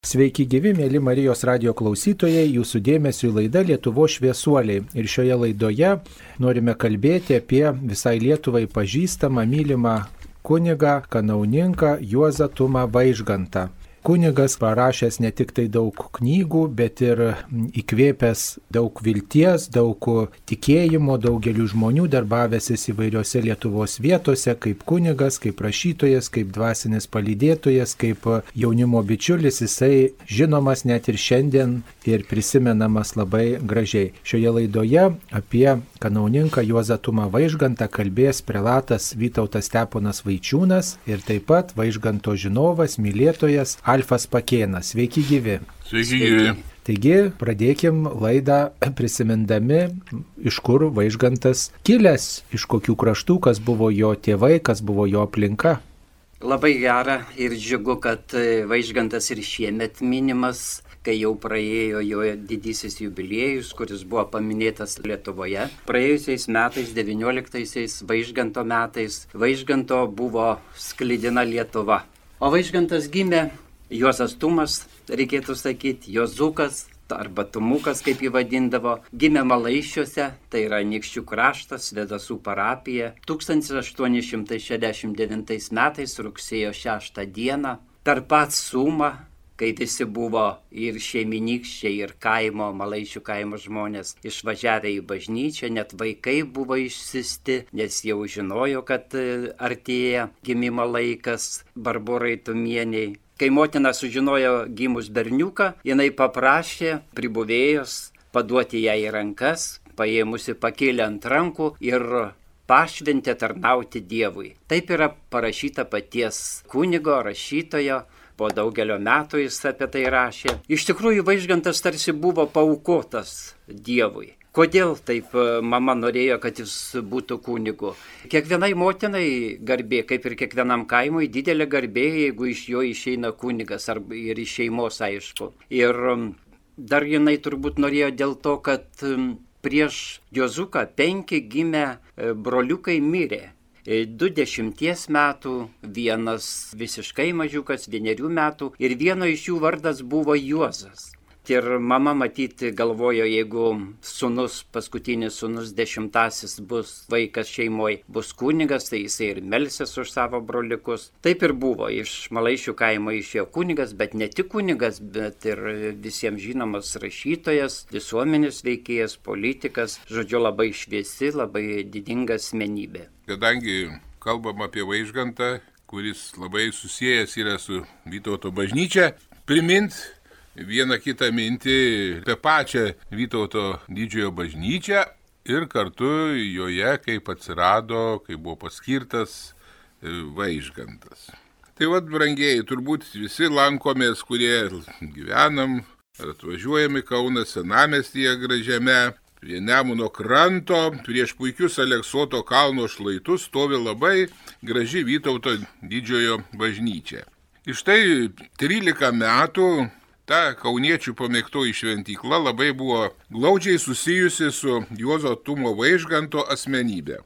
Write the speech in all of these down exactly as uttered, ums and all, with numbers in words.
Sveiki gyvi, mėly Marijos radijo klausytojai, jūsų dėmesiu į laidą Lietuvos šviesuoliai. Ir šioje laidoje norime kalbėti apie visai Lietuvai pažįstamą, mylimą kunigą, kanauninką Juozą Tumą Vaižgantą. Kunigas parašęs ne tik tai daug knygų, bet ir įkvėpęs daug vilties, daug tikėjimo, daugeliu žmonių darbavęsis įvairiose Lietuvos vietose, kaip kunigas, kaip rašytojas, kaip dvasinis palydėtojas, kaip jaunimo bičiulis, jisai žinomas net ir šiandien ir prisimenamas labai gražiai. Šioje laidoje apie kanauninką Juozą Tumą Vaižgantą kalbės prelatas Vytautas Steponas Vaičiūnas ir taip pat Vaižganto žinovas, mylėtojas Alfas Pakėnas. Sveiki gyvi. Sveiki gyvi. Taigi, pradėkim laidą prisimindami, iš kur Vaižgantas kilęs, iš kokių kraštų, kas buvo jo tėvai, kas buvo jo aplinka. Labai gera ir džiugu, kad Vaižgantas ir šiemet minimas, kai jau praėjo jo didysis jubiliejus, kuris buvo paminėtas Lietuvoje. Praėjusiais metais, devynioliktaisiais Vaižganto metais, Vaižganto buvo sklidina Lietuva. O Vaižgantas gimė Juozas Tumas, reikėtų sakyti, Juozukas arba Tumukas, kaip jį vadindavo, gimė Malaiščiuose, tai yra Anykščių kraštas, Svėdasų parapija, tūkstantis aštuoni šimtai šešiasdešimt devintais metais rugsėjo šeštą dieną, tarp pat Sumą, kai visi buvo ir šeiminykščiai, ir kaimo, Malaiščių kaimo žmonės išvažiavę į bažnyčią, net vaikai buvo išsiusti, nes jau žinojo, kad artėja gimimo laikas Barborai Tumieniai. Kai motina sužinojo gimus berniuką, jinai paprašė pribuvėjos paduoti ją į rankas, paėmusi pakėlė ant rankų ir pašventė tarnauti Dievui. Taip yra parašyta paties kunigo, rašytojo, po daugelio metų jis apie tai rašė. Iš tikrųjų, Vaižgantas tarsi buvo paaukotas Dievui. Kodėl taip mama norėjo, kad jis būtų kunigu? Kiekvienai motinai garbė, kaip ir kiekvienam kaimui, didelė garbė, jeigu iš jo išeina kunigas ar ir iš šeimos, aišku. Ir dar jinai turbūt norėjo dėl to, kad prieš Juozuką penki gimę broliukai mirė. Du dešimties metų, vienas visiškai mažiukas, vienerių metų ir vieno iš jų vardas buvo Juozas. Ir mama matyti galvojo, jeigu sūnus, paskutinis sūnus dešimtasis bus vaikas šeimoje, bus kunigas, tai jisai ir melsis už savo broliukus. Taip ir buvo, iš Malaiščių kaimo išėjo kunigas, bet ne tik kunigas, bet ir visiems žinomas rašytojas, visuomenės veikėjas, politikas, žodžiu, labai šviesi, labai didinga asmenybė. Kadangi kalbam apie Vaižgantą, kuris labai susijęs yra su Vytauto bažnyčia, primint vieną kitą mintį apie pačią Vytauto didžiojo bažnyčią ir kartu joje, kaip atsirado, kaip buvo paskirtas Vaižgantas. Tai vad, brangieji, turbūt visi lankomės, kurie gyvenam ar atvažiuojame Kauną senamiestyje gražiame, prie Nemuno kranto, prieš puikius Aleksoto kalno šlaitus stovi labai graži Vytauto didžiojo bažnyčia. Iš tai trylika metų ta kauniečių pamėgtoji šventykla labai buvo glaudžiai susijusi su Juozo Tumo Vaižganto asmenybė.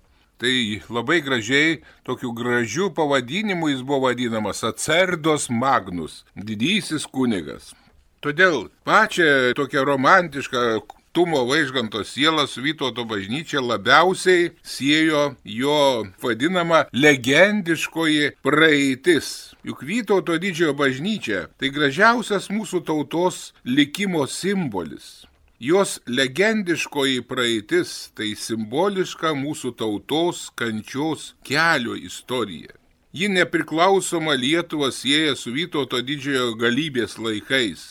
Tai labai gražiai, tokiu gražiu pavadinimu jis buvo vadinamas Acerdos Magnus, didysis kunigas. Todėl pačią tokią romantišką Tumo Vaižganto sielą su Vytauto bažnyčia labiausiai siejo jo vadinama legendiškoji praeitis. Juk Vytauto didžiojo bažnyčia tai gražiausias mūsų tautos likimo simbolis. Jos legendiškoji praeitis tai simboliška mūsų tautos kančios kelio istorija. Ji nepriklausoma Lietuvą sieja su Vytauto didžiojo galybės laikais.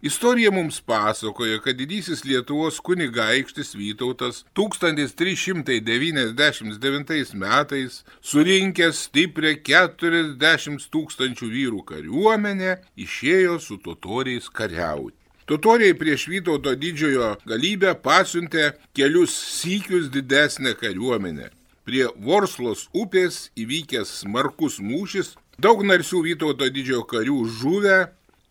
Istorija mums pasakoja, kad didysis Lietuvos kunigaikštis Vytautas tūkstantis trys šimtai devyniasdešimt devintais metais surinkęs stiprią keturiasdešimt tūkstančių vyrų kariuomenę išėjo su totoriais kariauti. Totoriai prieš Vytauto didžiojo galybę pasiuntė kelius sykius didesnę kariuomenę. Prie Vorslos upės įvykęs smarkus mūšis, daug narsių Vytauto didžiojo karių žuvę,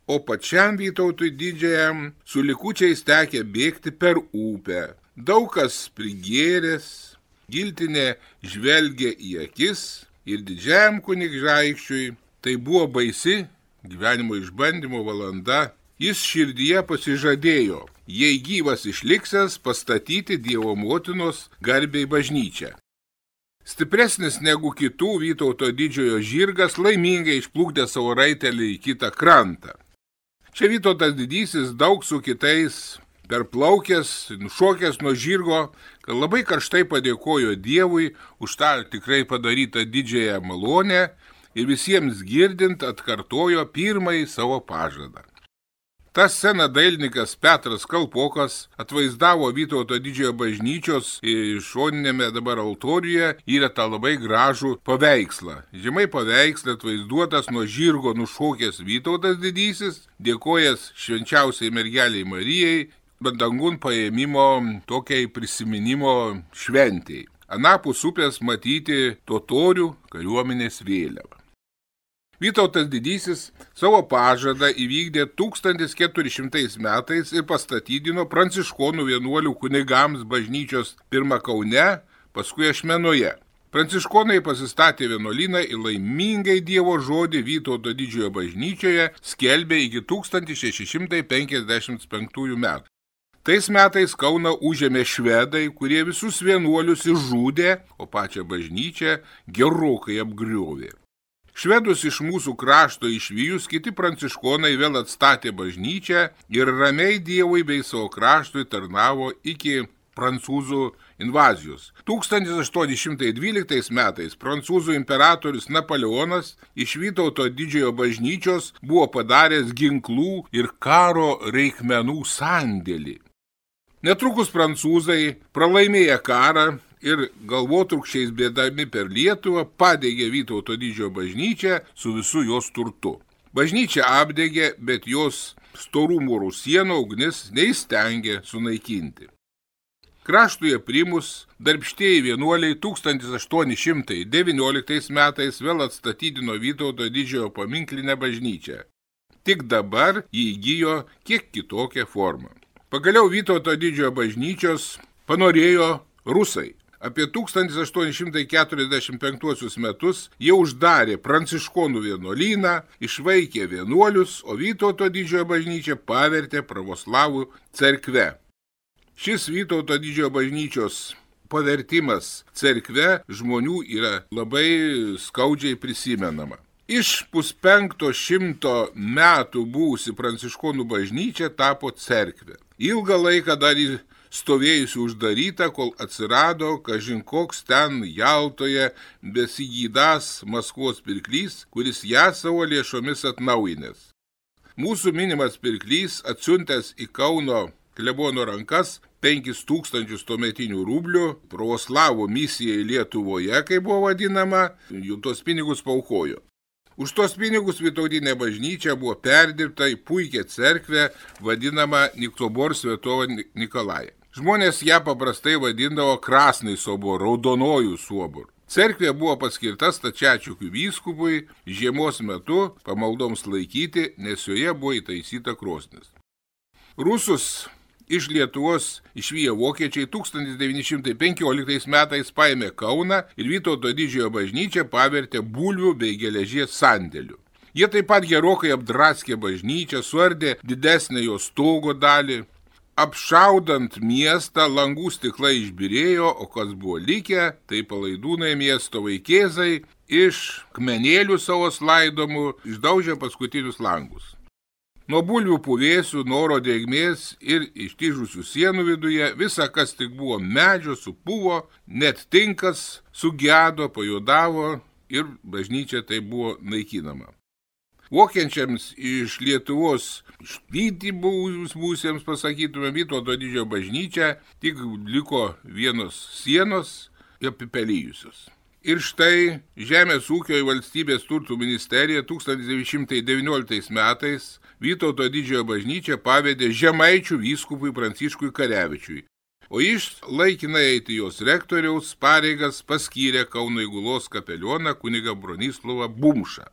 o pačiam Vytautui didžiajam su likučiais tekė bėgti per upę. Daug kas prigėręs, giltinė žvelgė į akis ir didžiajam kunigaikščiui tai buvo baisi gyvenimo išbandymo valanda, jis širdyje pasižadėjo, jei gyvas išliksęs, pastatyti Dievo motinos garbei bažnyčią. Stipresnis negu kitų Vytauto didžiojo žirgas laimingai išplukdė savo raitelį į kitą krantą. Čia Vytautas didysis daug su kitais perplaukęs, nušokęs nuo žirgo, kad labai karštai padėkojo Dievui už tą tikrai padarytą didžiąją malonę ir visiems girdint atkartojo pirmąjį savo pažadą. Ta scena dailininkas Petras Kalpokas atvaizdavo Vytauto didžiojo bažnyčios šoninėme dabar altoriuje yra tą labai gražų paveikslą. Žemai paveiksle atvaizduotas nuo žirgo nušokęs Vytautas didysis, dėkojęs švenčiausiai mergeliai Marijai, dangun paėmimo tokiai prisiminimo šventėjai. Anapus upės matyti totorių kariuomenės vėliava. Vytautas didysis savo pažadą įvykdė tūkstantis keturi šimtai metais ir pastatydino pranciškonų vienuolių kunigams bažnyčios pirmą Kaune, paskui Ašmenoje. Pranciškonai pasistatė vienuolyną ir laimingai Dievo žodį Vytauto didžiojo bažnyčioje skelbė iki tūkstantis šeši šimtai penkiasdešimt penktųjų metų. Tais metais Kauną užėmė švedai, kurie visus vienuolius išžudė, o pačią bažnyčią gerokai apgriovė. Švedus iš mūsų krašto išvijus, kiti pranciškonai vėl atstatė bažnyčią ir ramiai Dievui bei savo kraštui tarnavo iki prancūzų invazijos. tūkstantis aštuoni šimtai dvyliktais metais prancūzų imperatorius Napoleonas iš Vytauto didžiojo bažnyčios buvo padaręs ginklų ir karo reikmenų sandėlį. Netrukus prancūzai pralaimėję karą ir galvotrūkščiais bėdami per Lietuvą padegė Vytauto didžiojo bažnyčią su visu jos turtu. Bažnyčia apdegė, bet jos storų mūrų sienų ugnis neįstengė sunaikinti. Kraštuje primus darbštieji vienuoliai tūkstantis aštuoni šimtai devynioliktais metais vėl atstatydino Vytauto didžiojo paminklinę bažnyčią. Tik dabar jį įgijo kiek kitokią formą. Pagaliau Vytauto didžiojo bažnyčios panorėjo rusai. Apie tūkstantis aštuoni šimtai keturiasdešimt penktuosius metus jie uždarė pranciškonų vienuolyną, išvaikė vienuolius, o Vytauto didžiojo bažnyčią pavertė pravoslavų cerkve. Šis Vytauto didžiojo bažnyčios pavertimas cerkve žmonių yra labai skaudžiai prisimenama. Iš puspenkto šimto metų buvusi pranciškonų bažnyčia tapo cerkve. Ilgą laiką dar į stovėjusi uždaryta, kol atsirado kažin koks ten Jaltoje besigydąs Maskvos pirklys, kuris ją savo lėšomis atnaujinęs. Mūsų minimas pirklys atsiuntęs į Kauno klebono rankas penkis tūkstančius tuometinių rublių pravoslavų misijai Lietuvoje, kaip buvo vadinama, jų tos pinigus paukojo. Už tos pinigus Vytautinė bažnyčia buvo perdirbta į puikią cerkvę, vadinamą Niktobor Svetovo Nikolają. Žmonės ją paprastai vadindavo Krasnai sobor, raudonojų sobor. Cerkvė buvo paskirta stačiatikių vyskupui žiemos metu pamaldoms laikyti, nes joje buvo įtaisyta krosnis. Rusus iš Lietuvos išviję vokiečiai tūkstantis devyni šimtai penkioliktais metais paėmė Kauną ir Vytauto didžiojo bažnyčią pavertė bulvių bei geležies sandėliu. Jie taip pat gerokai apdraskė bažnyčią, suardė didesnę jos stogo dalį. Apšaudant miestą, langų stiklai išbyrėjo, o kas buvo likę, tai palaidūnai miesto vaikėzai iš kmenėlių savo slaidomų išdaužė paskutinius langus. Nuo bulvių puvėsių, noro drėgmės ir ištižusių sienų viduje visa, kas tik buvo medžio, supuvo, net tinkas sugedo, pajodavo ir bažnyčia tai buvo naikinama. Vokienčiams iš Lietuvos išvyti būsiems pasakytume Vytauto didžiojo bažnyčią, tik liko vienos sienos apipelijusios. Ir štai Žemės ūkio ir valstybės turtų ministerija tūkstantis devyni šimtai devynioliktais metais Vytauto didžiojo bažnyčią pavedė Žemaičių vyskupui Pranciškui Karevičiui, o iš laikinai eiti jos rektoriaus pareigas paskyrė Kauno įgulos kapelioną kunigą Bronislovą Bumšą.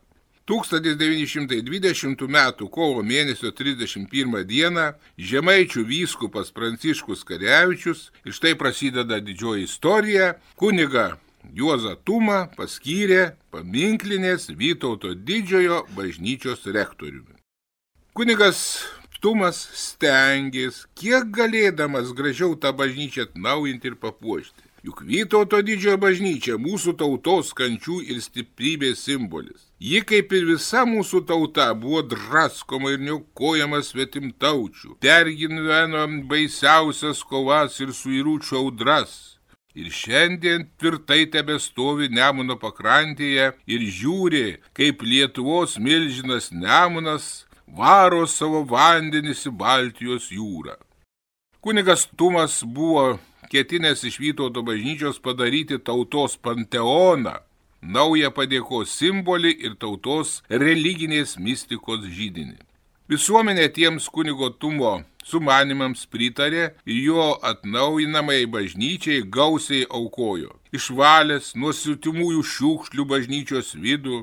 tūkstantis devyni šimtai dvidešimtų metų kovo mėnesio trisdešimt pirmą dieną Žemaičių vyskupas Pranciškus Karevičius, ir štai prasideda didžioji istorija, kunigą Juozą Tumą paskyrė paminklinės Vytauto didžiojo bažnyčios rektoriumi. Kunigas Tumas stengės, kiek galėdamas gražiau tą bažnyčią atnaujinti ir papuošti. Juk Vytauto didžiojo bažnyčia mūsų tautos kančių ir stiprybės simbolis. Ji, kaip ir visa mūsų tauta, buvo draskoma ir niaukojama svetimtaučių, pergyveno baisiausias kovas ir suiručių audras. Ir šiandien tvirtai tebestovi Nemuno pakrantėje ir žiūri, kaip Lietuvos milžinas Nemunas varo savo vandenis į Baltijos jūrą. Kunigas Tumas buvo ketinęs iš Vytauto bažnyčios padaryti tautos panteoną, naują padėkos simbolį ir tautos religinės mistikos židinį. Visuomenė tiems kunigo Tumo sumanimams pritarė ir jo atnaujinamai bažnyčiai gausiai aukojo. Išvalęs nuo siutimųjų šiukšlių bažnyčios vidų,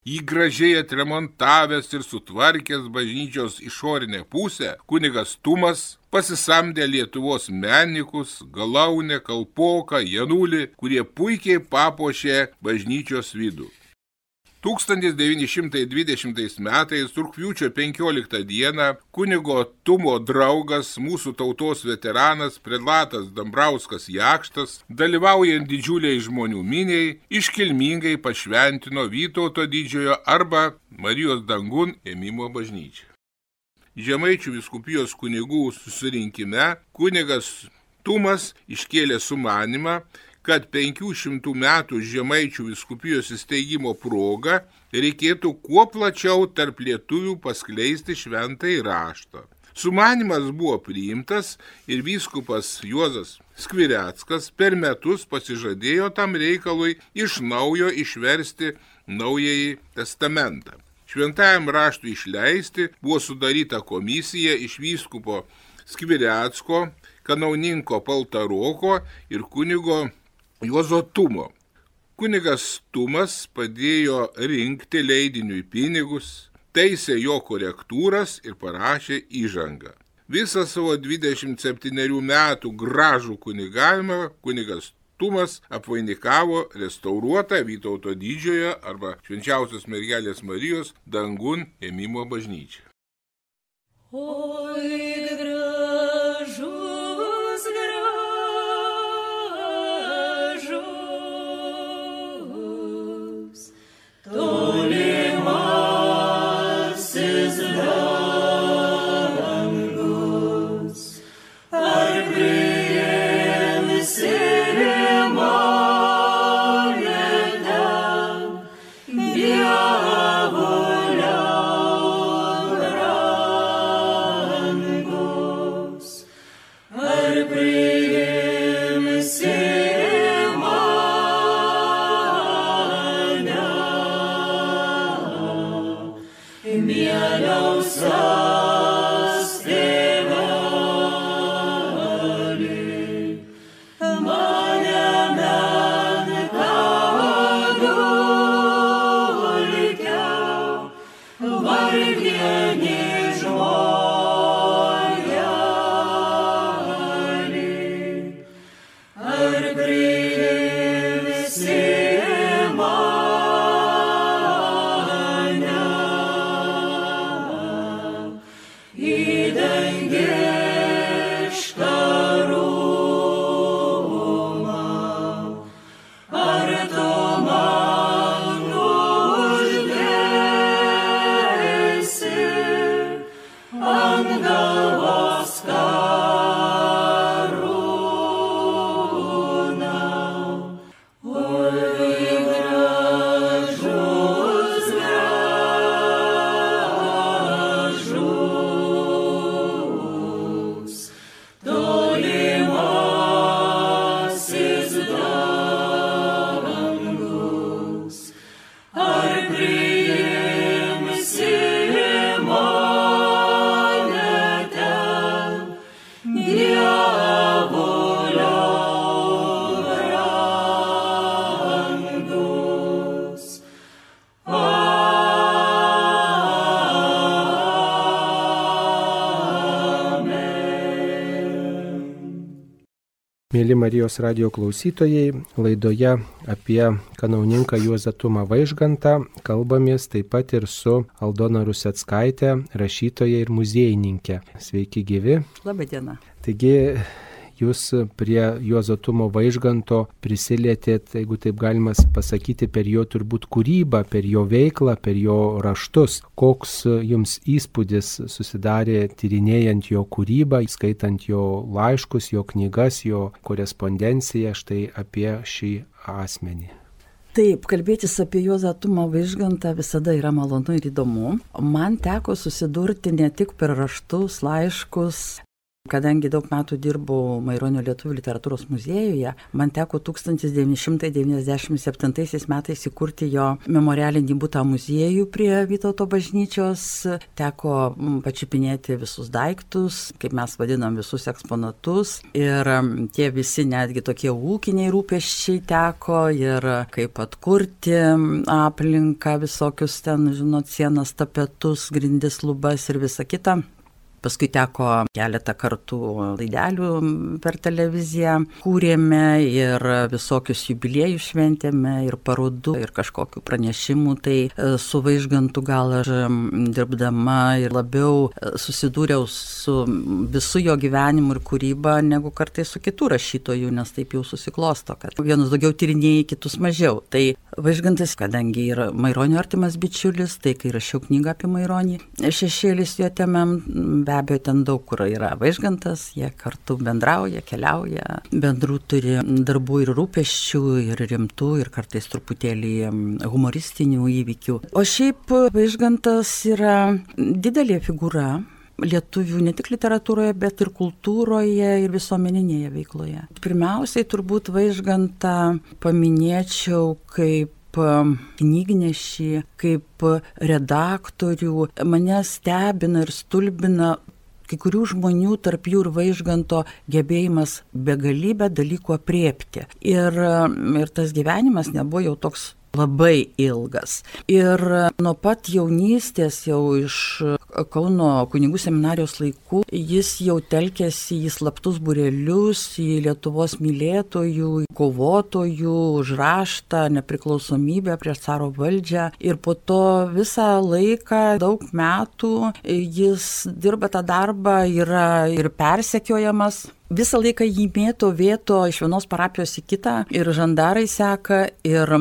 jį gražiai atremontavęs ir sutvarkęs bažnyčios išorinę pusę, kunigas Tumas pasisamdė Lietuvos menininkus Galaunę, Kalpoką, Janulį, kurie puikiai papuošė bažnyčios vidų. tūkstantis devyni šimtai dvidešimtais metais rugpjūčio penkioliktą dieną kunigo Tumo draugas, mūsų tautos veteranas prelatas Dambrauskas Jakštas, dalyvaujant didžiuliai žmonių miniai, iškilmingai pašventino Vytauto didžiojo arba Marijos dangun ėmimo bažnyčią. Žemaičių vyskupijos kunigų susirinkime kunigas Tumas iškėlė sumanimą, kad penkių šimtų metų Žemaičių vyskupijos įsteigimo proga reikėtų kuo plačiau tarp lietuvių paskleisti šventąjį raštą. Sumanymas buvo priimtas ir vyskupas Juozas Skvireckas per metus pasižadėjo tam reikalui iš naujo išversti Naująjį testamentą. Šventajam raštui išleisti buvo sudaryta komisija iš vyskupo Skvirecko, kanauninko Paltaroko ir kunigo Juozo Tumo. Kunigas Tumas padėjo rinkti leidiniui pinigus, taisė jo korektūras ir parašė įžangą. Visą savo dvidešimt septynerių metų gražų kunigavimą kunigas Tumas apvainikavo restauruotą Vytauto didžiojo arba Švenčiausios Mergelės Marijos dangun ėmimo bažnyčią. Oi, gražus, gražus, tolimasis dangus, ar priimsi mane ten, dievulio brangus, ar priimsi mieliausias tėveli, mane menką dulkę, vargdienį žmonelį, ar priimsi mane Mėly Marijos radio klausytojai, laidoje apie kanauninką Juozą Tumą Vaižgantą kalbamės taip pat ir su Aldona Ruseckaitė, rašytoja ir muziejininkė. Sveiki gyvi. Labą dieną. Taigi, jūs prie Juozo Tumo Vaižganto prisilietėt, jeigu taip galima pasakyti, per jo turbūt kūrybą, per jo veiklą, per jo raštus. Koks jums įspūdis susidarė tyrinėjant jo kūrybą, skaitant jo laiškus, jo knygas, jo korespondenciją, štai apie šį asmenį? Taip, kalbėtis apie Juozą Tumą Vaižgantą visada yra malonu ir įdomu. Man teko susidurti ne tik per raštus, laiškus. Kadangi daug metų dirbau Maironio lietuvių literatūros muziejuje, man teko tūkstantis devyni šimtai devyniasdešimt septintaisiais metais įkurti jo memorialinį butą muziejų prie Vytauto bažnyčios. Teko pačiupinėti visus daiktus, kaip mes vadinam visus eksponatus. Ir tie visi netgi tokie ūkiniai rūpesčiai teko ir kaip atkurti aplinką, visokius ten, žinot, sienas, tapetus, grindis, lubas ir visa kita. Paskui teko keletą kartų laidelių per televiziją, kūrėme ir visokius jubiliejus šventėme, ir parodų, ir kažkokių pranešimų. Tai su Vaižgantu gal aš dirbdama ir labiau susidūriau su visu jo gyvenimu ir kūryba, negu kartais su kitų rašytojų, nes taip jau susiklosto, kad vienus daugiau tyrinėjai, kitus mažiau. Tai Vaižgantas, kadangi yra Maironio artimas bičiulis, tai kai rašiau knygą apie Maironį, Šešėlis jo temam, be abejo, ten daug kur yra Vaižgantas, jie kartu bendrauja, keliauja, bendrų turi darbų ir rūpesčių, ir rimtų, ir kartais truputėlį humoristinių įvykių. O šiaip Vaižgantas yra didelė figūra lietuvių ne tik literatūroje, bet ir kultūroje ir visuomeninėje veikloje. Pirmiausiai turbūt Vaižgantą paminėčiau kaip knygnešį, kaip redaktorių. Mane stebina ir stulbina kai kurių žmonių, tarp jų ir Vaižganto, gebėjimas begalybę dalykų aprėpti. Ir, ir tas gyvenimas nebuvo jau toks labai ilgas. Ir nuo pat jaunystės, jau iš Kauno kunigų seminarijos laikų, jis jau telkėsi į slaptus būrelius, į Lietuvos mylėtojų, kovotojų už raštą, nepriklausomybę prieš caro valdžią. Ir po to visą laiką, daug metų, jis dirba tą darbą, yra ir persekiojamas. Visą laiką jį mėto, vėto iš vienos parapijos į kitą, ir žandarai seka, ir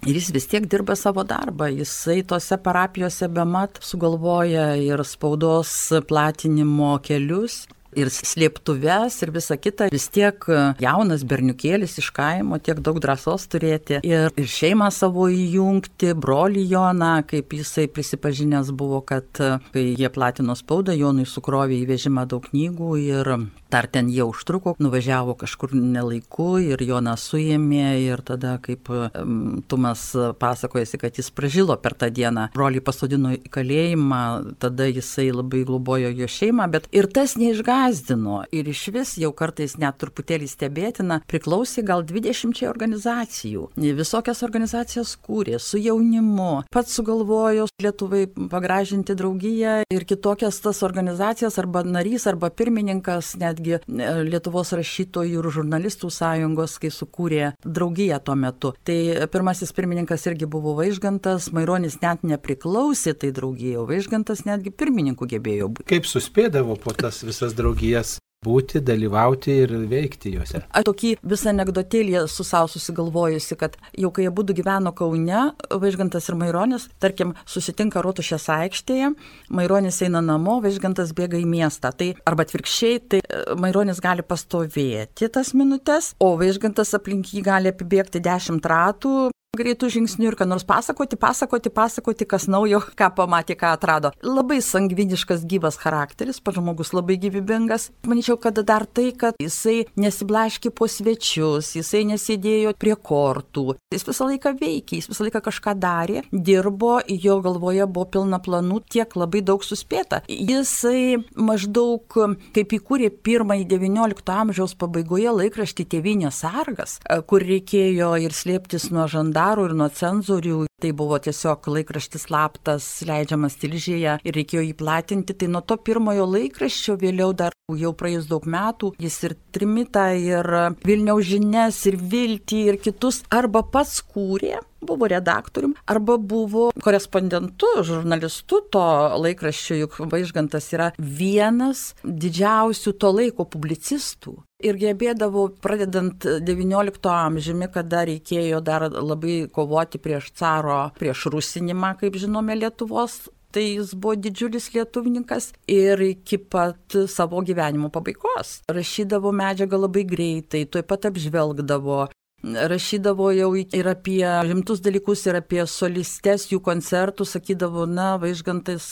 Ir jis vis tiek dirba savo darbą, jisai tose parapijose bemat sugalvoja ir spaudos platinimo kelius, ir slėptuves, ir visa kita. Vis tiek jaunas berniukėlis iš kaimo, tiek daug drąsos turėti ir, ir šeimą savo įjungti, brolį Joną, kaip jisai prisipažinęs buvo, kad kai jie platino spaudą, Jonui sukrovė į vežimą daug knygų ir dar ten jie užtruko, nuvažiavo kažkur nelaiku ir Joną suėmė, ir tada, kaip um, Tumas pasakojasi, kad jis pražilo per tą dieną, brolį pasodino į kalėjimą, tada jisai labai globojo jo šeimą, bet ir tas neišgazdino, ir iš vis jau kartais net truputėlį stebėtina, priklausė gal dvidešimčiai organizacijų. Visokias organizacijas kūrė su jaunimu, pats sugalvojo Lietuvai pagražinti draugiją ir kitokias tas organizacijas, arba narys, arba pirmininkas, net Lietuvos rašytojų ir žurnalistų sąjungos, kai sukūrė draugiją tuo metu. Tai pirmasis pirmininkas irgi buvo Vaižgantas, Maironis net nepriklausė tai draugijai, o Vaižgantas netgi pirmininku gebėjo būti. Kaip suspėdavo po tas visas draugijas būti, dalyvauti ir veikti juose? A, tokį visą anekdotėlį su savo susigalvojusi, kad jau kai jie būtų gyveno Kaune, Vaižgantas ir Maironis, tarkim, susitinka Rotušės aikštėje, Maironis eina namo, Vaižgantas bėga į miestą. Tai arba atvirkščiai, tai Maironis gali pastovėti tas minutės, o Vaižgantas aplink jį gali apibėgti dešimt ratų, greitų žingsnių ir ką nors pasakoti, pasakoti, pasakoti, kas naujo, ką pamatė, ką atrado. Labai sangviniškas, gyvas charakteris, pats žmogus labai gyvybingas. Manyčiau, kad dar tai, kad jisai nesiblaškė po svečius, jisai nesėdėjo prie kortų. Jis visą laiką veikė, jis visą laiką kažką darė, dirbo, jo galvoje buvo pilna planų, tiek labai daug suspėta. Jisai maždaug, kaip įkūrė pirmąjį devyniolikto amžiaus pabaigoje laikraštį Tėvynės sargas, kur reikėjo ir slėptis nuo žandarų ir nuo cenzorių, Tai buvo tiesiog laikraštis slaptas, leidžiamas Tilžėje ir reikėjo jį platinti. Tai nuo to pirmojo laikraščio vėliau dar jau praėjus daug metų, jis ir Trimitą, ir Vilniaus žinias, ir Viltį, ir kitus arba pats kūrė, buvo redaktorium, arba buvo korespondentu, žurnalistu to laikraščio, juk Vaižgantas yra vienas didžiausių to laiko publicistų. Ir gebėdavo, pradedant devyniolikto amžiumi, kada reikėjo dar labai kovoti prieš caro, prieš rusinimą, kaip žinome, Lietuvos, tai jis buvo didžiulis lietuvininkas ir iki pat savo gyvenimo pabaigos. Rašydavo medžiagą labai greitai, tuoj pat apžvelgdavo. Rašydavo jau ir apie rimtus dalykus, ir apie solistes, jų koncertus, sakydavo, na, Vaižgantas,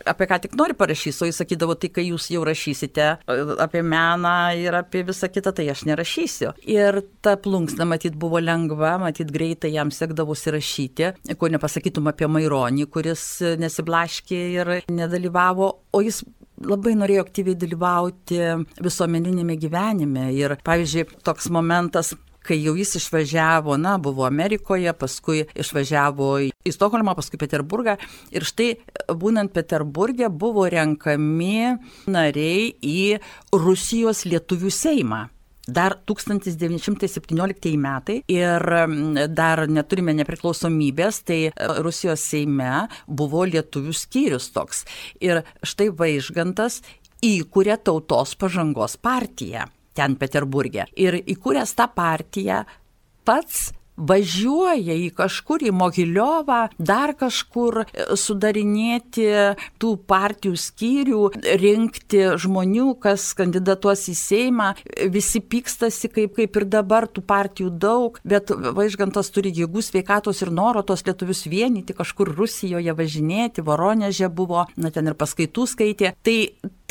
apie ką tik nori parašys, o jis sakydavo, tai kai jūs jau rašysite apie meną ir apie visą kitą, tai aš nerašysiu. Ir ta plunksna, matyt, buvo lengva, matyt, greitai jam sekdavosi rašyti, ko nepasakytum apie Maironį, kuris nesiblaškė ir nedalyvavo, o jis labai norėjo aktyviai dalyvauti visuomeninėme gyvenime. Ir, pavyzdžiui, toks momentas, kai jau jis išvažiavo, na, buvo Amerikoje, paskui išvažiavo į Stokholmą, paskui Peterburgą. Ir štai, būnant Peterburge, buvo renkami nariai į Rusijos lietuvių seimą. Dar tūkstantis devyni šimtai septynioliktieji metai ir dar neturime nepriklausomybės, tai Rusijos seime buvo lietuvių skyrius toks. Ir štai Vaižgantas įkūrė Tautos pažangos partiją ten Peterburge. Ir įkūręs tą partiją pats važiuoja į kažkur, į Mogiliovą, dar kažkur sudarinėti tų partijų skyrių, rinkti žmonių, kas kandidatuos į Seimą. Visi pykstasi, kaip, kaip ir dabar, tų partijų daug, bet Vaižgantas turi jėgų, sveikatos ir noro tos lietuvius vienyti, kažkur Rusijoje važinėti, Voroneže buvo, na ten ir paskaitų skaitė. Tai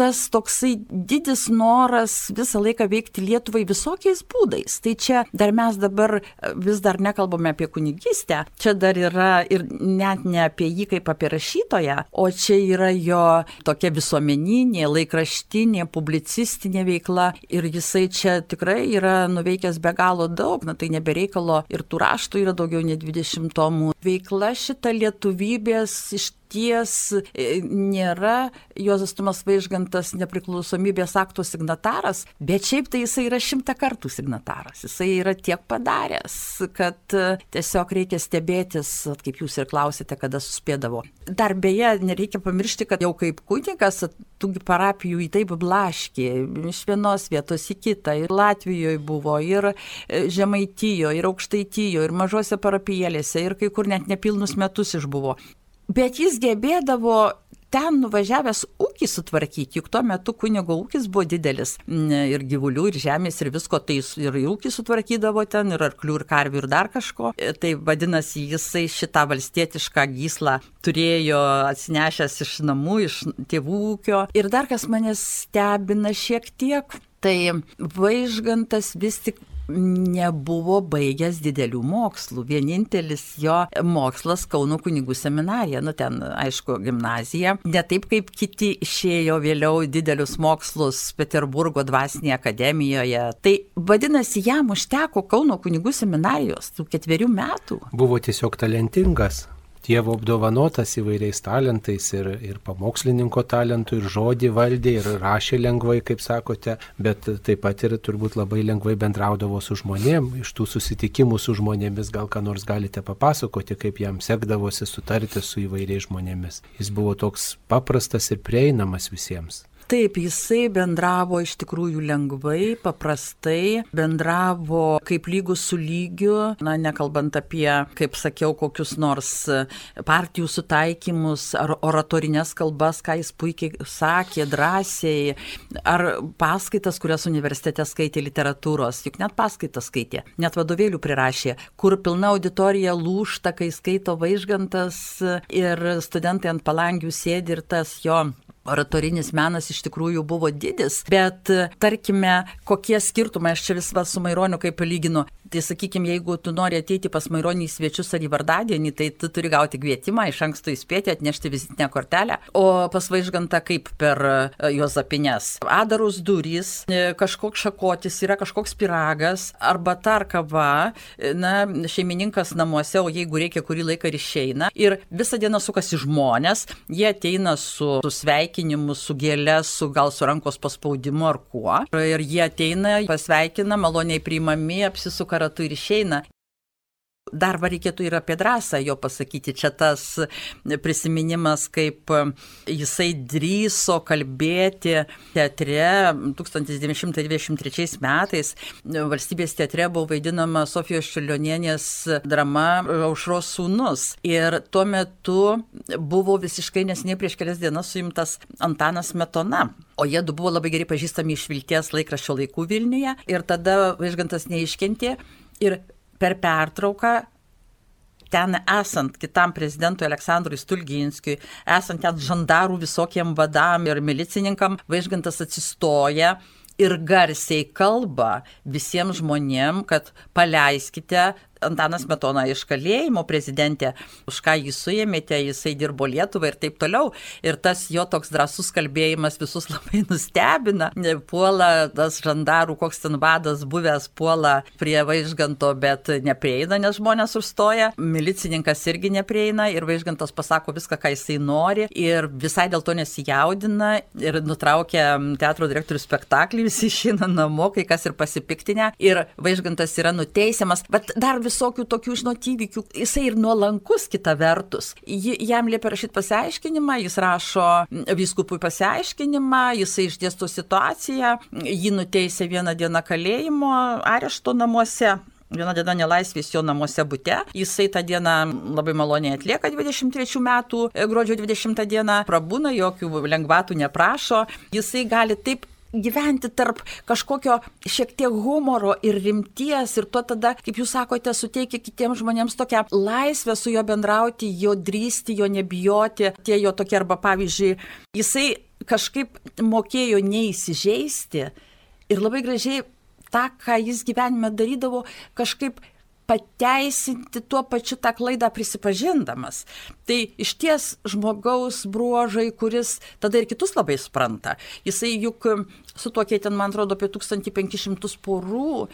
tas toksai didis noras visą laiką veikti Lietuvai visokiais būdais. Tai čia dar mes dabar vis dar nekalbame apie kunigystę, čia dar yra ir net ne apie jį kaip apie rašytoją, o čia yra jo tokia visuomeninė, laikraštinė, publicistinė veikla ir jisai čia tikrai yra nuveikęs be galo daug, na tai nebereikalo ir tų raštų yra daugiau nei dvidešimt tomų. Veikla šita lietuvybės iš ties nėra Juozas Tumas Vaižgantas nepriklausomybės akto signataras, bet šiaip tai jisai yra šimtą kartų signataras. Jisai yra tiek padaręs, kad tiesiog reikia stebėtis, kaip jūs ir klausėte, kada suspėdavo. Dar beje, nereikia pamiršti, kad jau kaip kunigas tų parapijų į taip blaškė, iš vienos vietos į kitą. Ir Latvijoje buvo, ir Žemaitijoje, ir Aukštaitijoje, ir mažose parapijėlėse, ir kai kur net nepilnus metus išbuvo. Bet jis gebėdavo ten nuvažiavęs ūkį sutvarkyti, juk tuo metu kunigo ūkis buvo didelis, ir gyvulių, ir žemės, ir visko, tai ir ūkį sutvarkydavo ten, ir arklių, ir karvių, ir dar kažko. Tai vadinasi, jisai šitą valstietišką gyslą turėjo atsinešęs iš namų, iš tėvų ūkio. Ir dar kas mane stebina šiek tiek, tai Vaižgantas vis tik nebuvo baigęs didelių mokslų. Vienintelis jo mokslas Kauno kunigų seminarija, nu ten, aišku, gimnazija. Ne taip, kaip kiti išėjo vėliau didelius mokslus Peterburgo dvasinėje akademijoje. Tai vadinasi, jam užteko Kauno kunigų seminarijos tų ketverių metų. Buvo tiesiog talentingas. Dievo apdovanotas įvairiais talentais ir, ir pamokslininko talentų, ir žodį valdė, ir rašė lengvai, kaip sakote, bet taip pat ir turbūt labai lengvai bendraudavo su žmonėm. Iš tų susitikimų su žmonėmis gal ką nors galite papasakoti, kaip jam sekdavosi sutarti su įvairiais žmonėmis. Jis buvo toks paprastas ir prieinamas visiems. Taip, jisai bendravo iš tikrųjų lengvai, paprastai, bendravo kaip lygus su lygiu, na, nekalbant apie, kaip sakiau, kokius nors partijų sutaikymus ar oratorinės kalbas, ką jis puikiai sakė, drąsiai, ar paskaitas, kurias universitete skaitė literatūros, juk net paskaitas skaitė, net vadovėlių prirašė, kur pilna auditorija lūžta, kai skaito Vaižgantas ir studentai ant palangių sėdi ir tas jo oratorinis menas iš tikrųjų buvo didis, bet tarkime, kokie skirtumai, aš čia vis va su Maironiu kaip lyginu. Tai sakykime, jeigu tu nori ateiti pas Maironį į svečius ar į vardadienį, tai tu turi gauti kvietimą, iš anksto įspėti, atnešti vizitinę kortelę. O pas Vaižgantą kaip per Juozapines. Adarus durys, kažkoks šakotis, yra kažkoks pyragas, arba tar kava, na, šeimininkas namuose, o jeigu reikia kurį laiką ir išeina. Ir visą dieną sukasi žmonės, jie ateina su, su sveikinimu, su gėle, su gal su rankos paspaudimu ar kuo. Ir jie ateina, pasveikina, maloniai priimami, apsisuka ratu ir išeina. Dar va reikėtų ir apie drąsą jo pasakyti. Čia tas prisiminimas, kaip jisai drįso kalbėti teatre tūkstantis devyni šimtai dvidešimt trečiais metais. Valstybės teatre buvo vaidinama Sofijos Čiurlionienės drama Aušros sūnus. Ir tuo metu buvo visiškai neseniai prieš kelias dienas suimtas Antanas Smetona. O jie du buvo labai gerai pažįstami iš Vilties laikraščio laikų Vilniuje. Ir tada Vaižgantas neiškentė. Ir per pertrauką, ten esant kitam prezidentui Aleksandrui Stulginskiui, esant ten žandarų visokiem vadam ir milicininkam, Vaižgantas atsistoja ir garsiai kalba visiems žmonėm, kad paleiskite Antanas Smetona iš kalėjimo, prezidentė, už ką jį suėmėte, jisai dirbo Lietuvai ir taip toliau. Ir tas jo toks drąsus kalbėjimas visus labai nustebina. Puola tas žandarų, koks ten vadas buvęs, puola prie Vaižganto, bet neprieina, nes žmonės užstoja. Milicininkas irgi neprieina ir Vaižgantas pasako viską, ką jisai nori ir visai dėl to nesijaudina ir nutraukia teatro direktorių spektaklį, visi išeina namo, kai kas ir pasipiktinę. Ir Vaižgantas yra nuteisiamas, bet dar visokių tokių, žinot, įvykių. Jisai ir nuolankus kita vertus. Ji, jam liepia rašyti pasiaiškinimą, jis rašo vyskupui pasiaiškinimą, jisai išdėsto situaciją, jį nuteisė vieną dieną kalėjimo arešto namuose. Viena diena nelaisvės jo namuose bute. Jisai tą dieną labai maloniai atlieka dvidešimt trečių metų gruodžio dvidešimtą dieną, prabūna, jokių lengvatų neprašo. Jisai gali taip gyventi tarp kažkokio šiek tiek humoro ir rimties ir to tada, kaip jūs sakote, suteikia kitiems žmonėms tokią laisvę su juo bendrauti, jo drįsti, jo nebijoti. Tie jo tokie arba pavyzdžiui, jisai kažkaip mokėjo neįsižeisti ir labai gražiai tą, ką jis gyvenime darydavo, kažkaip pateisinti tuo pačiu tą klaidą prisipažindamas. Tai iš ties žmogaus bruožai, kuris tada ir kitus labai supranta. Jisai juk sutuokė ten, man atrodo, apie tūkstantį penkis šimtus porų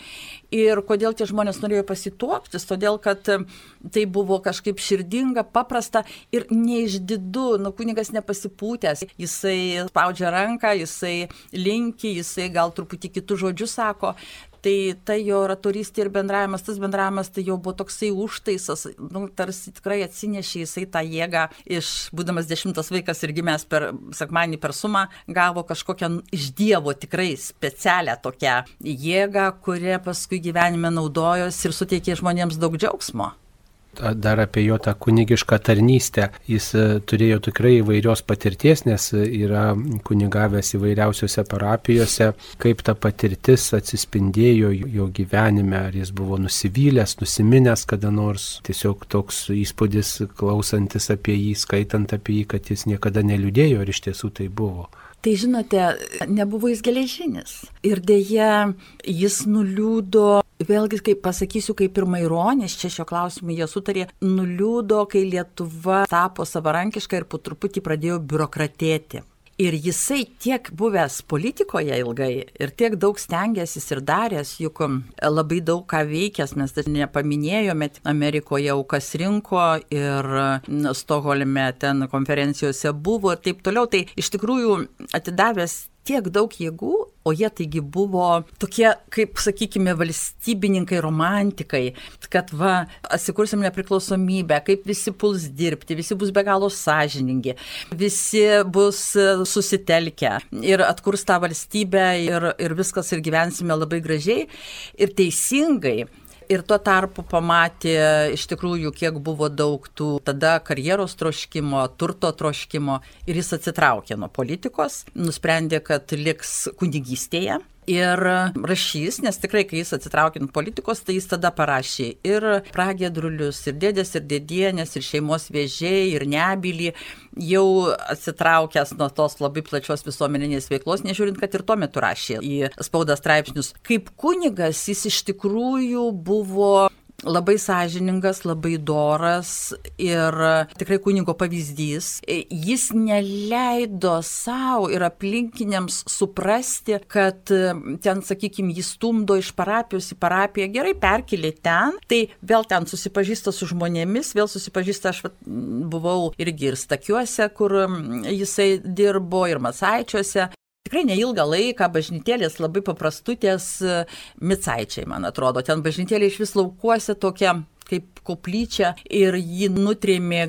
ir kodėl tie žmonės norėjo pasituoktis, todėl kad tai buvo kažkaip širdinga, paprasta ir neišdidu, nu kunigas nepasipūtęs. Jisai spaudžia ranką, jisai linki, jisai gal truputį kitų žodžių sako. Tai tai jo oratorystė ir bendravimas, tas bendravimas tai jau buvo toksai užtaisas, nu, tarsi tikrai atsinešė jisai tą jėgą iš, būdamas dešimtas vaikas ir gimęs per sekmadienį per sumą, gavo kažkokią iš Dievo tikrai specialią tokią jėgą, kurią paskui gyvenime naudojosi ir suteikė žmonėms daug džiaugsmo. Dar apie jo tą kunigišką tarnystę. Jis turėjo tikrai įvairios patirties, nes yra kunigavęs įvairiausiose parapijose. Kaip ta patirtis atsispindėjo jo gyvenime, ar jis buvo nusivylęs, nusiminęs kada nors. Tiesiog toks įspūdis klausantis apie jį, skaitant apie jį, kad jis niekada neliūdėjo, ar iš tiesų tai buvo. Tai žinote, nebuvo jis geležinis. Ir dėja, jis nuliūdo, vėlgi, kaip pasakysiu, kaip ir Maironis, čia šio klausimu jie sutarė, nuliūdo, kai Lietuva tapo savarankiška ir po truputį pradėjo biurokratėti. Ir jisai tiek buvęs politikoje ilgai ir tiek daug stengęsis ir daręs, juk labai daug ką veikęs, mes dar nepaminėjome, Amerikoje aukas rinko ir Stokholme ten konferencijose buvo ir taip toliau. Tai iš tikrųjų atidavęs tiek daug jėgų, o jie taigi buvo tokie, kaip sakykime, valstybininkai, romantikai, kad va, atsikursim nepriklausomybę, kaip visi puls dirbti, visi bus be galo sąžiningi, visi bus susitelkę ir atkurs tą valstybę ir, ir viskas ir gyvensime labai gražiai ir teisingai. Ir tuo tarpu pamatė iš tikrųjų, kiek buvo daug tų tada karjeros troškimo, turto troškimo ir jis atsitraukė nuo politikos, nusprendė, kad liks kunigystėje. ir rašys, nes tikrai, kai jis atsitraukė nuo politikos, tai jis tada parašė ir pragiedrulius, ir dėdės, ir dėdienės, ir šeimos vėžiai, ir nebylį, jau atsitraukęs nuo tos labai plačios visuomeninės veiklos, nežiūrint, kad ir tuo metu rašė į spaudą straipsnius. Kaip kunigas jis iš tikrųjų buvo labai sąžiningas, labai doras ir tikrai kunigo pavyzdys. Jis neleido savo ir aplinkiniams suprasti, kad ten, sakykime, jis stumdo iš parapijos į parapiją, gerai perkelė ten, tai vėl ten susipažįsta su žmonėmis, vėl susipažįsta, aš buvau irgi ir Stakiuose, kur jisai dirbo, ir Macaičiuose. Tikrai neilgą laiką bažnytėlės labai paprastutės Micaičiai, man atrodo. Ten bažnytėlė iš vis laukuose tokia kaip koplyčia ir jį nutrėmė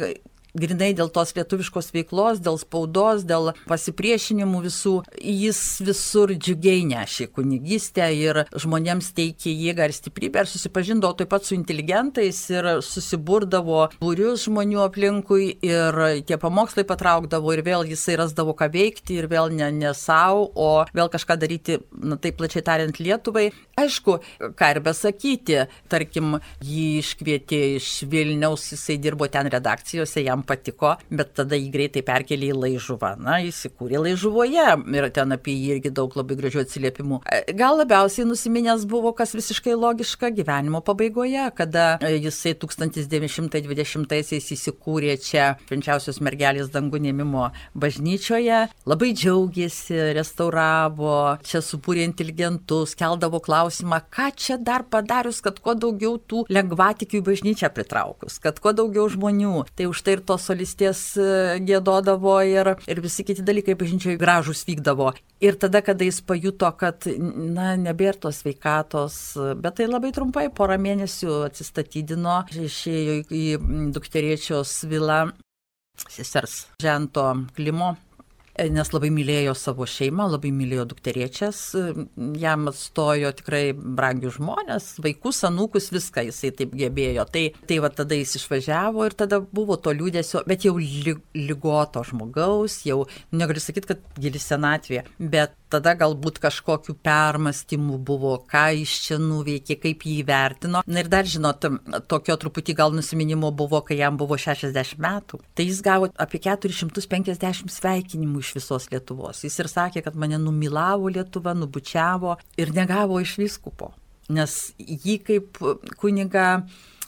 grinai dėl tos lietuviškos veiklos, dėl spaudos, dėl pasipriešinimų visų. Jis visur džiugiai nešė kunigystę ir žmonėms teikė jėgą ir stiprybę ir susipažindavo taip pat su inteligentais ir susiburdavo būrius žmonių aplinkui ir tie pamokslai patraukdavo ir vėl jisai rasdavo ką veikti ir vėl ne, ne savo, o vėl kažką daryti, na taip plačiai tariant, Lietuvai. Aišku, ką ir besakyti, tarkim, jį iškvietė iš Vilniaus, jisai dirbo ten redakcijose, jam patiko, bet tada jį greitai perkelė į Laižuvą. Na, jis įkūrė Laižuvoje ir ten apie jį irgi daug labai gražių atsiliepimų. Gal labiausiai nusiminęs buvo, kas visiškai logiška, gyvenimo pabaigoje, kada jisai tūkstantis devyni šimtai dvidešimtaisiais įsikūrė čia Švenčiausios mergelės dangų ėmimo bažnyčioje, labai džiaugėsi, restauravo, čia subūrė inteligentus, keldavo klausimą, ką čia dar padarius, kad kuo daugiau tų lengvatikių į bažnyčią pritraukus, kad kuo daugiau žmonių. Tai už tai ir tos solistės giedodavo ir, ir visi kiti dalykai bažnyčioje gražūs vykdavo. Ir tada, kada jis pajuto, kad, na, nebėra tos sveikatos, bet tai labai trumpai, porą mėnesių atsistatydino, išėjo į dukterėčios vilą sesers Žento Klimo, nes labai mylėjo savo šeimą, labai mylėjo dukterėčias, jam atstojo tikrai brangius žmonės, vaikus, anūkus, viską jisai taip gebėjo. Tai, tai va tada jis išvažiavo ir tada buvo to liūdesio, bet jau ligoto žmogaus, jau negaliu sakyti, kad gili senatvė, bet tada galbūt kažkokių permastymų buvo, ką iš čia nuveikė, kaip jį įvertino. Na ir dar, žinot, tokio truputį gal nusiminimo buvo, kai jam buvo šešiasdešimt metų. Tai jis gavo apie keturis šimtus penkiasdešimt sveikinimų iš visos Lietuvos. Jis ir sakė, kad mane numylavo Lietuva, nubučiavo ir negavo iš vyskupo. Nes jį kaip kunigą,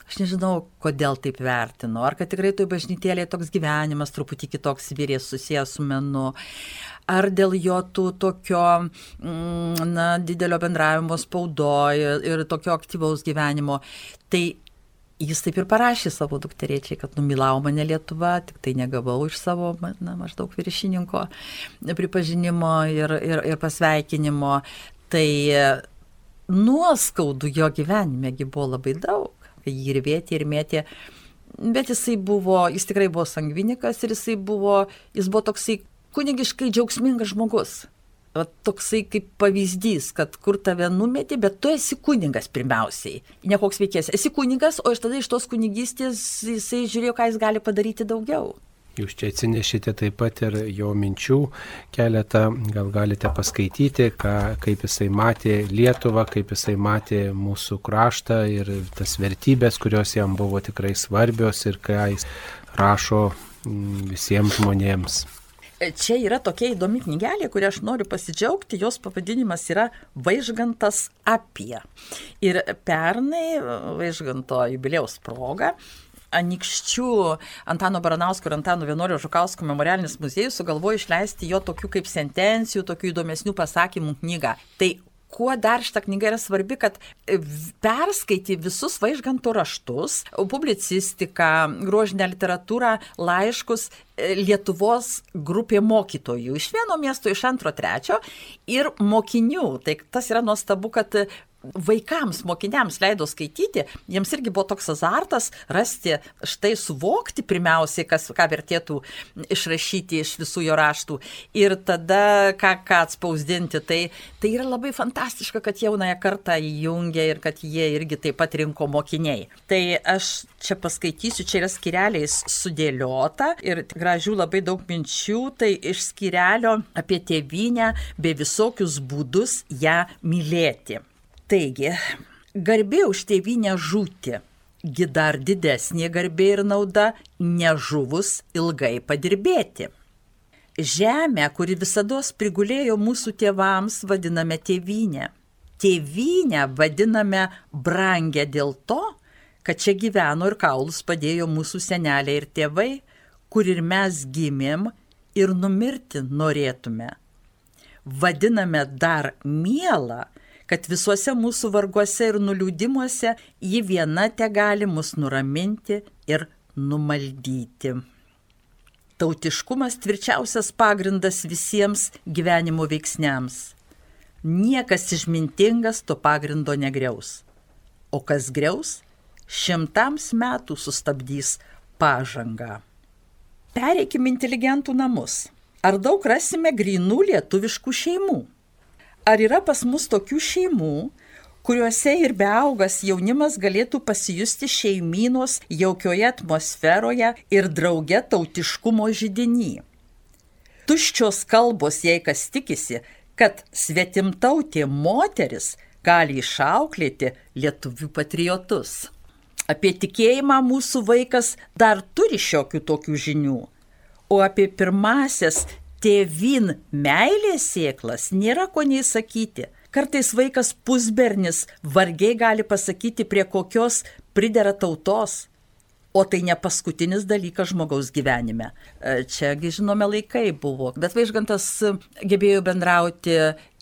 aš nežinau, kodėl taip vertino. Ar kad tikrai toj bažnytėlėje toks gyvenimas truputį kitoks vyrės susijęs su menu. Ar dėl jo tų tokio na, didelio bendravimo spaudoje ir tokio aktyvaus gyvenimo. Tai jis taip ir parašė savo dukterėčiai, kad numylavo mane Lietuva, tik tai negavau iš savo na, maždaug viršininko pripažinimo ir, ir, ir pasveikinimo. Tai nuoskaudų jo gyvenimegi buvo labai daug. Jį ir vėtė, ir mėtė. Bet jisai buvo, jis tikrai buvo sangvinikas ir jisai buvo, jis buvo toksai kunigiškai džiaugsmingas žmogus. Va, toksai kaip pavyzdys, kad kur tave numetė, bet tu esi kunigas pirmiausiai. Ne koks veikėjas. Esi kunigas, o iš tada iš tos kunigystės jisai žiūrėjo, ką jis gali padaryti daugiau. Jūs čia atsinešite taip pat ir jo minčių keletą, gal galite paskaityti, ką, kaip jisai matė Lietuvą, kaip jisai matė mūsų kraštą ir tas vertybės, kurios jam buvo tikrai svarbios ir ką jis rašo visiems žmonėms. Čia yra tokia įdomi knygelė, kurią aš noriu pasidžiaugti, jos pavadinimas yra Vaižgantas apie. Ir pernai Vaižganto jubiliejaus proga Anykščių Antano Baranausko ir Antano Vienuolio Žukausko memorialinis muziejus sugalvojo išleisti jo tokių kaip sentencijų, tokių įdomesnių pasakymų knygą. Tai kuo dar šita knyga yra svarbi, kad perskaiti visus Vaižganto raštus, publicistiką, grožinę literatūrą, laiškus Lietuvos grupė mokytojų iš vieno miesto, iš antro, trečio ir mokinių. Tai tas yra nuostabu, kad vaikams, mokiniams leido skaityti, jiems irgi buvo toks azartas rasti, štai suvokti pirmiausiai, kas, ką vertėtų išrašyti iš visų jo raštų ir tada ką, ką atspausdinti. Tai, tai yra labai fantastiška, kad jaunąją kartą įjungia ir kad jie irgi taip pat rinko mokiniai. Tai aš čia paskaitysiu, čia yra skyreliais sudėliota ir gražių labai daug minčių, tai iš skyrelio apie tėvynę bei visokius būdus ją mylėti. Taigi, garbė už tėvynę žūti, gi dar didesnė garbė ir nauda nežuvus ilgai padirbėti. Žemę, kuri visados prigulėjo mūsų tėvams, vadiname tėvynę. Tėvynę vadiname brangę dėl to, kad čia gyveno ir kaulus padėjo mūsų seneliai ir tėvai, kur ir mes gimėm ir numirti norėtume. Vadiname dar mielą, kad visuose mūsų varguose ir nuliūdimuose ji viena te gali mus nuraminti ir numaldyti. Tautiškumas tvirčiausias pagrindas visiems gyvenimo veiksniams. Niekas išmintingas to pagrindo negriaus. O kas griaus, šimtams metų sustabdys pažangą. Pereikim inteligentų namus. Ar daug rasime grynų lietuviškų šeimų? Ar yra pas mus tokių šeimų, kuriuose ir beaugas jaunimas galėtų pasijusti šeimynos jaukioje atmosferoje ir drauge tautiškumo židiny? Tuščios kalbos, jei kas tikisi, kad svetimtautė moteris gali išauklėti lietuvių patriotus. Apie tikėjimą mūsų vaikas dar turi šiokių tokių žinių, o apie pirmasias tėvyn meilės sėklas nėra ko nei sakyti. Kartais vaikas pusbernis vargiai gali pasakyti, prie kokios pridera tautos, o tai ne paskutinis dalykas žmogaus gyvenime. Čiagi žinome laikai buvo, bet Vaižgantas gebėjo bendrauti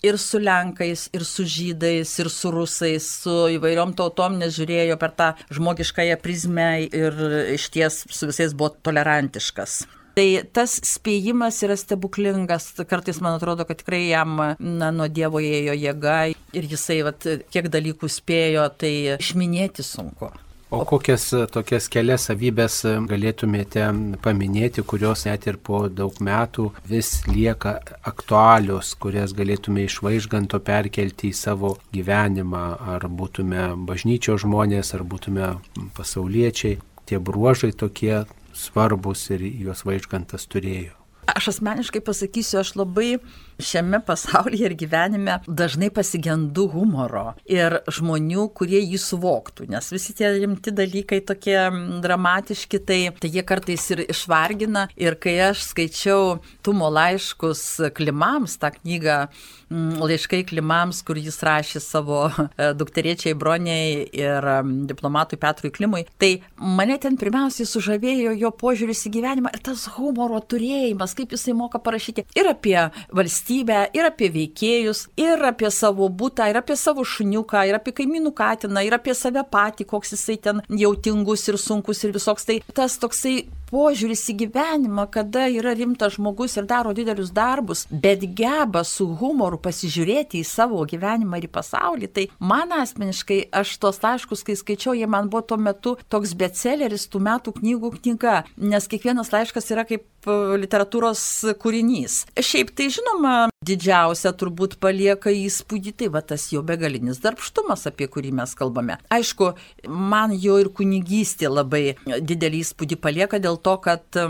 ir su lenkais, ir su žydais, ir su rusais, su įvairiom tautom, nes žiūrėjo per tą žmogiškąją prizmę ir išties su visais buvo tolerantiškas. Tai tas spėjimas yra stebuklingas, kartais man atrodo, kad tikrai jam na, nuo Dievo ėjo jėga ir jisai vat, kiek dalykų spėjo, tai išminėti sunku. O kokias tokias kelias savybės galėtumėte paminėti, kurios net ir po daug metų vis lieka aktualios, kurias galėtume iš Vaižganto perkelti į savo gyvenimą, ar būtume bažnyčios žmonės, ar būtume pasauliečiai, tie bruožai tokie svarbus ir juos Vaižgantas turėjo? Aš asmeniškai pasakysiu, aš labai šiame pasaulyje ir gyvenime dažnai pasigendu humoro ir žmonių, kurie jį suvoktų, nes visi tie rimti dalykai tokie dramatiški, tai, tai jie kartais ir išvargina. Ir kai aš skaičiau Tumo laiškus Klimams, tą knygą Laiškai Klimams, kur jis rašė savo dukterėčiai Broniai ir diplomatui Petrui Klimui, tai mane ten pirmiausiai sužavėjo jo požiūris į gyvenimą ir tas humoro turėjimas, kaip jisai moka parašyti ir apie valstybę, ir apie veikėjus, ir apie savo butą, ir apie savo šuniuką, ir apie kaimynų katiną, ir apie save patį, koks jisai ten jautingus ir sunkus ir visoks. Tai tas toksai požiūris į gyvenimą, kada yra rimtas žmogus ir daro didelius darbus, bet geba su humoru pasižiūrėti į savo gyvenimą ir į pasaulį. Tai man asmeniškai, aš tos laiškus, kai skaičiau, jie man buvo tuo metu toks bestselleris, tų metų knygų knyga, nes kiekvienas laiškas yra kaip literatūros kūrinys. Šiaip tai žinoma, didžiausia turbūt palieka įspūdį, tai va tas jo begalinis darbštumas, apie kurį mes kalbame. Aišku, man jo ir kunigystė labai didelį įspūdį palieka dėl to, kad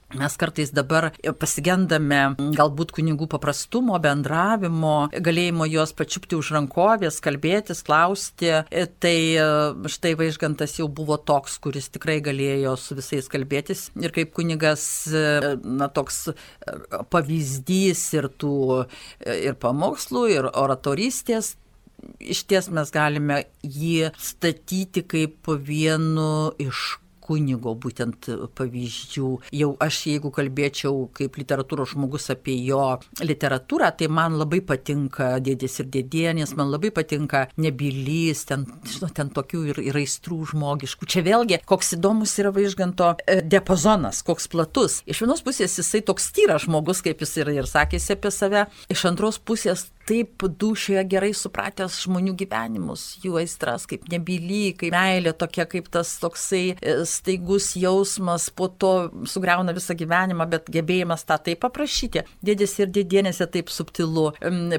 mes kartais dabar pasigendame galbūt kunigų paprastumo, bendravimo, galėjimo juos pačiupti už rankovės, kalbėtis, klausti. Tai štai Vaižgantas jau buvo toks, kuris tikrai galėjo su visais kalbėtis. Ir kaip kunigas, na, toks pavyzdys ir tų ir pamokslų, ir oratorystės. Iš ties mes galime jį statyti kaip vienu iš kunigo būtent pavyzdžių. Jau aš, jeigu kalbėčiau kaip literatūros žmogus apie jo literatūrą, tai man labai patinka Dėdės ir dėdienės, man labai patinka Nebylys, ten, žinot, ten tokių ir, ir aistrų žmogiškų. Čia vėlgi, koks įdomus yra Vaižganto diapazonas, koks platus. Iš vienos pusės jisai toks tyras žmogus, kaip jis ir, ir sakėsi apie save, iš antros pusės taip dūšioje gerai supratęs žmonių gyvenimus, jų aistras, kaip nebyly, kaip meilė tokia, kaip tas toksai staigus jausmas, po to sugriauna visą gyvenimą, bet gebėjimas tą taip paprašyti. Dėdės ir dėdienėse taip subtilu,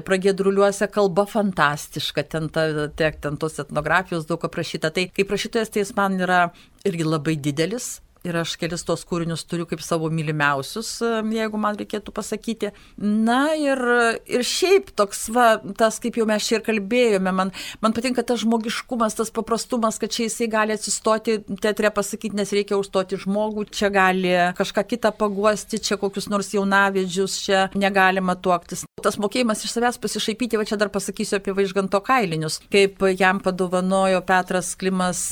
pragiedruliuose kalba fantastiška, ten, ta, tiek, ten tos etnografijos daug aprašyta. Tai kaip rašytojas, tai jis man yra irgi labai didelis. Ir aš kelis tos kūrinius turiu kaip savo mylimiausius, jeigu man reikėtų pasakyti. Na ir, ir šiaip toks, va, tas, kaip jau mes čia ir kalbėjome, man, man patinka tas žmogiškumas, tas paprastumas, kad čia jisai gali atsistoti, teatre pasakyti, nes reikia užstoti žmogų, čia gali kažką kitą paguosti, čia kokius nors jaunavedžius, čia negalima tuoktis. Tas mokėjimas iš savęs pasišaipyti, va čia dar pasakysiu apie Vaižganto kailinius, kaip jam padovanojo Petras Klimas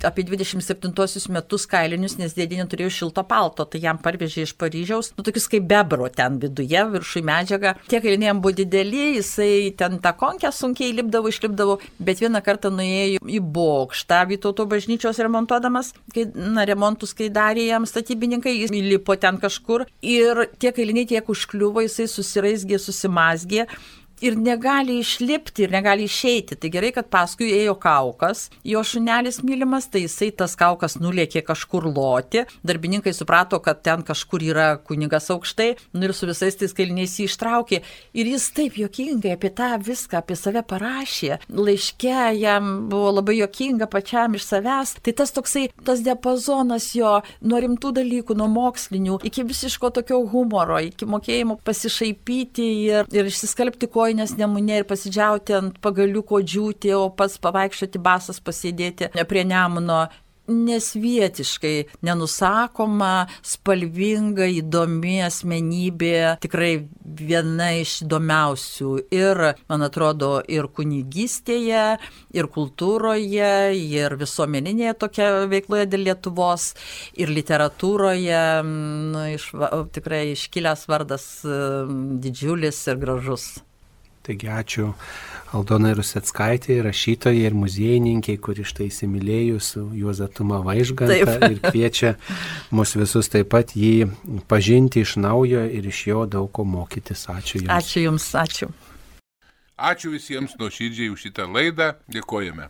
apie dvidešimt septintuosius metus kailinius, nes dėdinė turėjo šilto palto, tai jam parvežė iš Paryžiaus, nu tokius kaip bebro ten viduje, viršui medžiaga. Tie kailiniai jam buvo dideli, jisai ten tą konkę sunkiai lipdavo, išlipdavo, bet vieną kartą nuėjo į bokštą Vytauto bažnyčios remontuodamas, kai, na, remontus, kai darė jam statybininkai, jis įlipo ten kažkur ir tie kailiniai tiek užkliuvo, jisai susiraizgė, susimazgė. Ir negali išlipti, ir negali išeiti. Tai gerai, kad paskui ėjo Kaukas, jo šunelis mylimas, tai jisai tas Kaukas nulėkė kažkur loti. Darbininkai suprato, kad ten kažkur yra kunigas aukštai, nu ir su visais tais kailiniais jį ištraukė. Ir jis taip juokingai apie tą viską, apie save parašė. Laiške jam buvo labai juokinga pačiam iš savęs. Tai tas toksai, tas diapazonas jo nuo rimtų dalykų, nuo mokslinių, iki visiško tokio humoro, iki mokėjimo pasišaipyti ir, ir išsiskalbti ko nes Nemune ir pasidžiauti ant pagaliuko džiūti, o pats pavaikščioti basas pasėdėti prie Nemuno. Nesvietiškai, nenusakoma, spalvinga, įdomi asmenybė, tikrai viena iš įdomiausių ir, man atrodo, ir kunigystėje, ir kultūroje, ir visuomeninėje tokia veikloje dėl Lietuvos, ir literatūroje, nu, iš, tikrai iškilęs vardas didžiulis ir gražus. Taigi ačiū Aldonai Ruseckaitei, rašytojai ir muziejininkiai, kuri štai įsimylėjus Juozą Tumą Vaižgantą taip. Ir kviečia mus visus taip pat jį pažinti iš naujo ir iš jo daug ko mokytis. Ačiū Jums. Ačiū Jums, ačiū. Ačiū visiems nuoširdžiai už šitą laidą. Dėkojame.